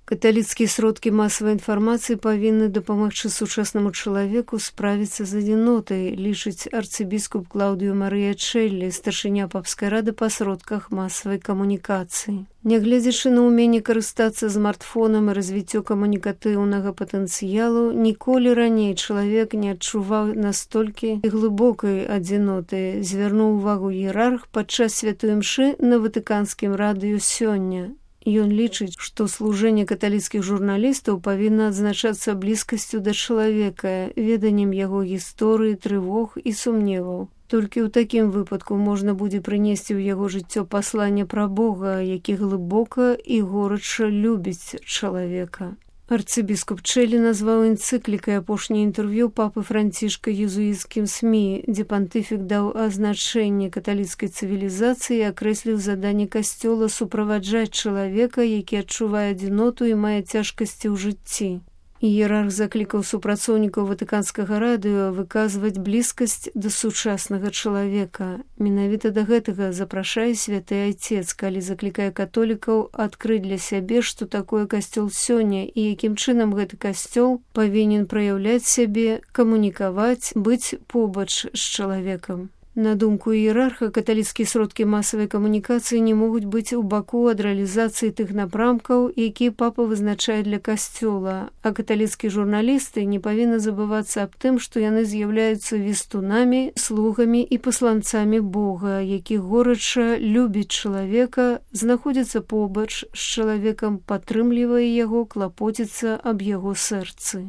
Каталіцкія сродкі масавай інфармацыі павінны дапамагчы сучаснаму чалавеку справіцца з адзінотай, лічыць арцыбіскуп Клаўдыё Марыя Чэллі, старшыня папскай рады па сродках масавай камунікацыі. Нягледзячы на ўменне карыстацца смартфонам і развіццё камунікатыўнага патэнцыялу, ніколі раней чалавек не адчуваў настолькі глыбокай адзіноты, звярнуў увагу іерарх падчас святой імшы на ватыканскім радыё сёння. Ён лічыць, што служэнне каталіцкіх журналістаў павінна адзначацца блізкасцю да чалавека, веданнем яго гісторыі, трывог і сумневаў. Толькі ў такім выпадку можна будзе прынесці ў яго жыццё пасланне пра Бога, які глыбока і горача любіць чалавека. Арцыбіскуп Чэллі назваў энцыклікай апошняе інтэрв'ю папы Францішка езуіцкім СМІ, дзе пантыфік даў азначэнне каталіцкай цывілізацыі і акрэсліў заданне касцёла суправаджаць чалавека, які адчувае адзіноту і мае цяжкасці ў жыцці. Іерарх заклікаў супрацоўнікаў ватыканскага радыё выказваць блізкасць да сучаснага чалавека. Менавіта да гэтага запрашае святы айцец, калі заклікае католікаў адкрыць для сябе, што такое касцёл сёння і якім чынам гэты касцёл павінен праяўляць сябе, камунікаваць, быць побач з чалавекам. На думку іерарха, каталіцкія сродкі масавай камунікацыі не могуць быць у баку ад рэалізацыі тых напрамкаў, якія папа вызначае для касцёла, а каталіцкія журналісты не павінны забывацца аб тым, што яны з'яўляюцца вестунамі, слугамі і пасланцамі Бога, які горача любіць чалавека, знаходзіцца побач з чалавекам, падтрымлівае яго, клапоціцца аб яго сэрцы.